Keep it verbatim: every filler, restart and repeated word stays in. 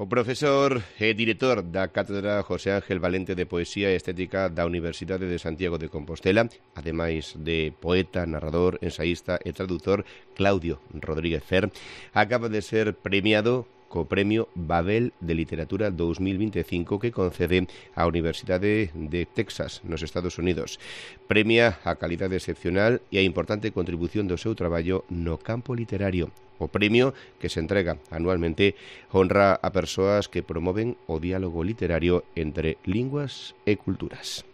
O profesor e director da Cátedra José Ángel Valente de Poesía e Estética da Universidade de Santiago de Compostela, ademais de poeta, narrador, ensaísta e traductor, Claudio Rodríguez Fer, acaba de ser premiado co Premio Babel de Literatura dous mil vinte e cinco que concede a Universidade de Texas, nos Estados Unidos. Premia a calidade excepcional e a importante contribución do seu traballo no campo literario. O premio, que se entrega anualmente, honra a persoas que promoven o diálogo literario entre linguas e culturas.